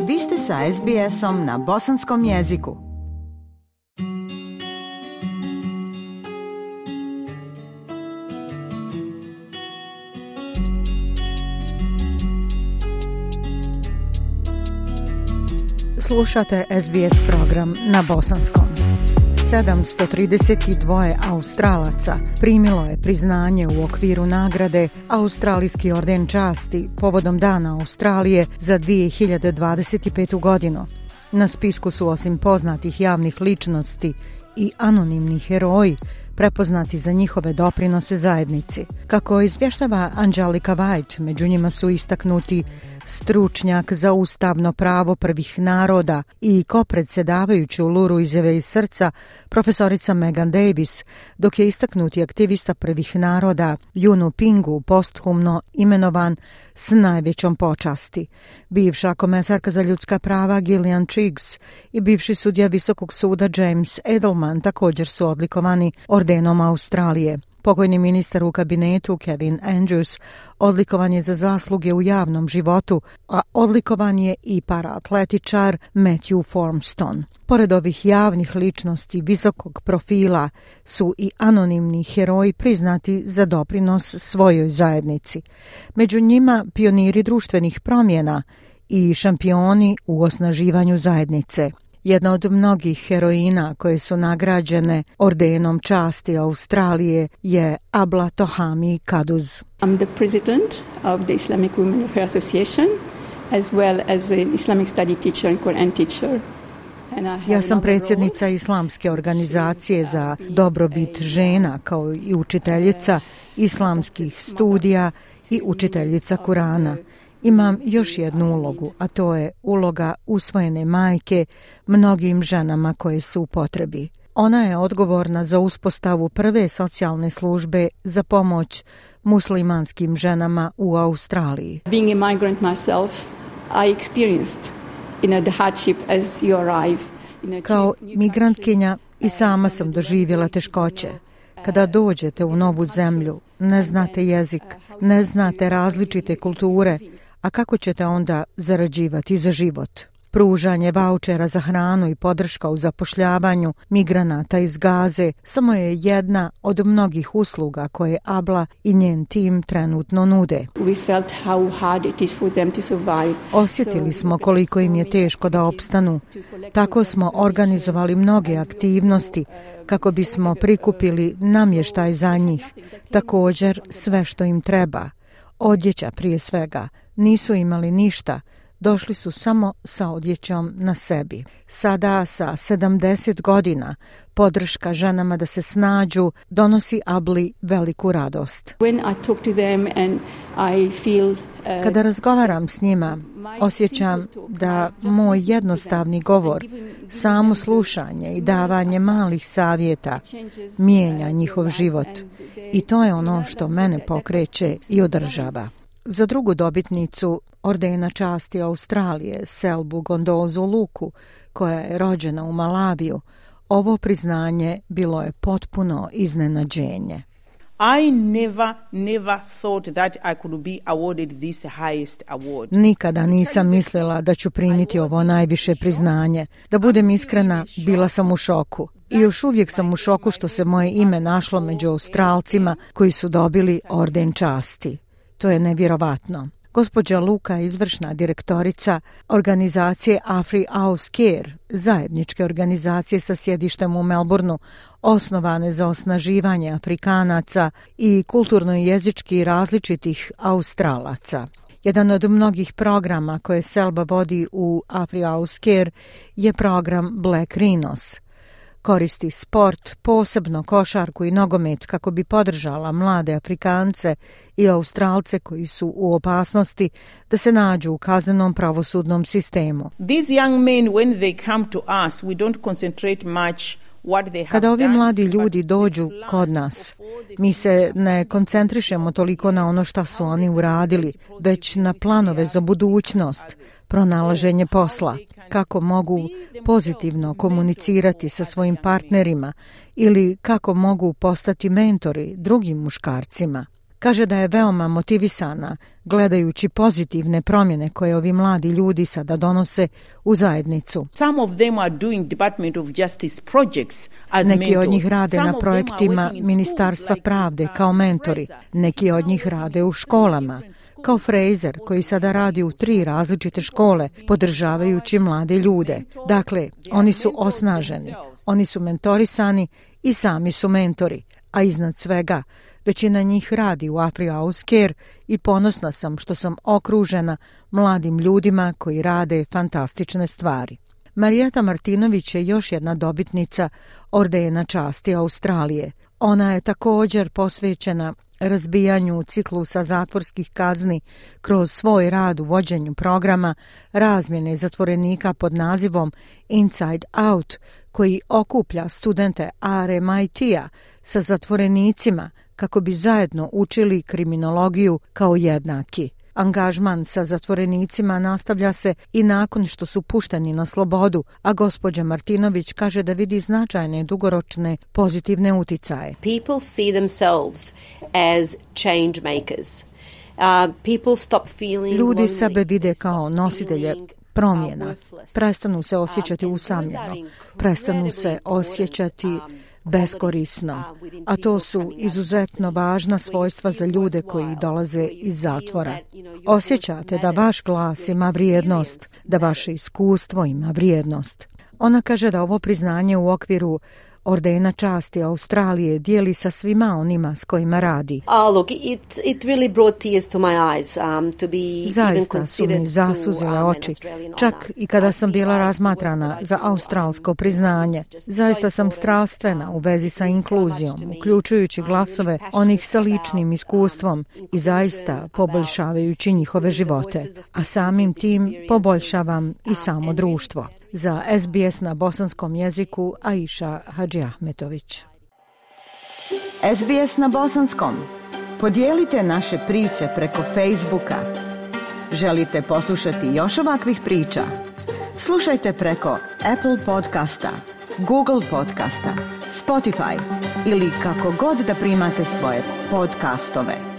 Vi ste sa SBS-om na bosanskom jeziku. Slušate SBS program na bosanskom. 732 Australaca primilo je priznanje u okviru nagrade Australijski orden časti povodom Dana Australije za 2025. godinu. Na spisku su osim poznatih javnih ličnosti i anonimni heroji prepoznati za njihove doprinose zajednici. Kako izvještava Angelika White, među njima su istaknuti stručnjak za ustavno pravo prvih naroda i kopredsjedavajući u Luru izjave iz srca profesorica Megan Davis, dok je istaknuti aktivista prvih naroda Junu Pingu posthumno imenovan s najvećom počasti. Bivša komesarka za ljudska prava Gillian Triggs i bivši sudija Visokog suda James Edelman također su odlikovani ordenom Australije. Pokojni ministar u kabinetu Kevin Andrews odlikovan je za zasluge u javnom životu, a odlikovan je i paraatletičar Matthew Formston. Pored ovih javnih ličnosti visokog profila su i anonimni heroji priznati za doprinos svojoj zajednici. Među njima pioniri društvenih promjena i šampioni u osnaživanju zajednice. Jedna od mnogih heroina koje su nagrađene ordenom časti Australije je Abla Tohami Kaduz. I'm the president of the Islamic Women Affairs Association, as well as an Islamic study teacher and Quran teacher. Ja sam predsjednica Islamske organizacije za dobrobit žena kao i učiteljica islamskih studija i učiteljica Kurana. Imam još jednu ulogu, a to je uloga usvojene majke mnogim ženama koje su u potrebi. Ona je odgovorna za uspostavu prve socijalne službe za pomoć muslimanskim ženama u Australiji. Being a migrant myself, I experienced the hardship as you arrive. Kao migrantkinja i sama sam doživjela teškoće. Kada dođete u novu zemlju, ne znate jezik, ne znate različite kulture, a kako ćete onda zarađivati za život? Pružanje vaučera za hranu i podrška u zapošljavanju migranata iz Gaze samo je jedna od mnogih usluga koje Abla i njen tim trenutno nude. Osjetili smo koliko im je teško da opstanu. Tako smo organizovali mnoge aktivnosti kako bismo prikupili namještaj za njih, također sve što im treba. Odjeća prije svega. Nisu imali ništa, došli su samo sa odjećom na sebi. Sada sa 70 godina podrška ženama da se snađu donosi Abli veliku radost. Kada razgovaram s njima, osjećam da moj jednostavni govor, samo slušanje i davanje malih savjeta mijenja njihov život. I to je ono što mene pokreće i održava. Za drugu dobitnicu ordena časti Australije, Selbu Gondozu Luku, koja je rođena u Malaviju, ovo priznanje bilo je potpuno iznenađenje. I never thought that I could be awarded this highest award. Nikada nisam mislila da ću primiti ovo najviše priznanje. Da budem iskrena, bila sam u šoku. I još uvijek sam u šoku što se moje ime našlo među Australcima koji su dobili orden časti. To je nevjerovatno. Gospođa Luka je izvršna direktorica organizacije Afri Aus Care, zajedničke organizacije sa sjedištem u Melbourneu, osnovane za osnaživanje Afrikanaca i kulturno i jezički različitih Australaca. Jedan od mnogih programa koje Selba vodi u Afri Aus Care je program Black Rhinos. Koristi sport, posebno košarku i nogomet kako bi podržala mlade Afrikance i Australce koji su u opasnosti da se nađu u kaznenom pravosudnom sistemu. These young men, when they come to us, we don't concentrate much. Kada ovi mladi ljudi dođu kod nas, mi se ne koncentrišemo toliko na ono što su oni uradili, već na planove za budućnost, pronalaženje posla, kako mogu pozitivno komunicirati sa svojim partnerima ili kako mogu postati mentori drugim muškarcima. Kaže da je veoma motivisana gledajući pozitivne promjene koje ovi mladi ljudi sada donose u zajednicu. Some of them are doing Department of Justice projects as mentors. Neki od njih rade na projektima Ministarstva pravde kao mentori. Neki od njih rade u školama, kao Fraser koji sada radi u 3 različite škole podržavajući mlade ljude. Dakle, oni su osnaženi, oni su mentorisani i sami su mentori. A iznad svega, većina njih radi u Afri House Care i ponosna sam što sam okružena mladim ljudima koji rade fantastične stvari. Marijeta Martinović je još jedna dobitnica Ordena časti Australije. Ona je također posvećena razbijanju ciklusa zatvorskih kazni kroz svoj rad u vođenju programa razmjene zatvorenika pod nazivom Inside Out, koji okuplja studente RMIT-a sa zatvorenicima kako bi zajedno učili kriminologiju kao jednaki. Angažman sa zatvorenicima nastavlja se i nakon što su pušteni na slobodu, a gospođa Martinović kaže da vidi značajne dugoročne pozitivne uticaje. People see themselves as change makers. People stop feeling Ljudi lonely. sebe vide kao nositelje promjena. Prestanu se osjećati usamljeno. Prestanu se osjećati beskorisno, a to su izuzetno važna svojstva za ljude koji dolaze iz zatvora. Osjećate da vaš glas ima vrijednost, da vaše iskustvo ima vrijednost. Ona kaže da ovo priznanje u okviru Ordena časti Australije dijeli sa svima onima s kojima radi. It really brought tears to my eyes, to be Zaista su mi zasuzile oči, čak i kada sam bila razmatrana za australsko priznanje. Zaista sam strastvena u vezi sa inkluzijom, uključujući glasove onih sa ličnim iskustvom i zaista poboljšavajući njihove živote, a samim tim poboljšavam i samo društvo. Za SBS na bosanskom jeziku Aisha Hadžiahmetović. SBS na bosanskom. Podijelite naše priče preko Facebooka. Želite poslušati još ovakvih priča? Slušajte preko Apple podcasta, Google podcasta, Spotify ili kako god da primate svoje podcastove.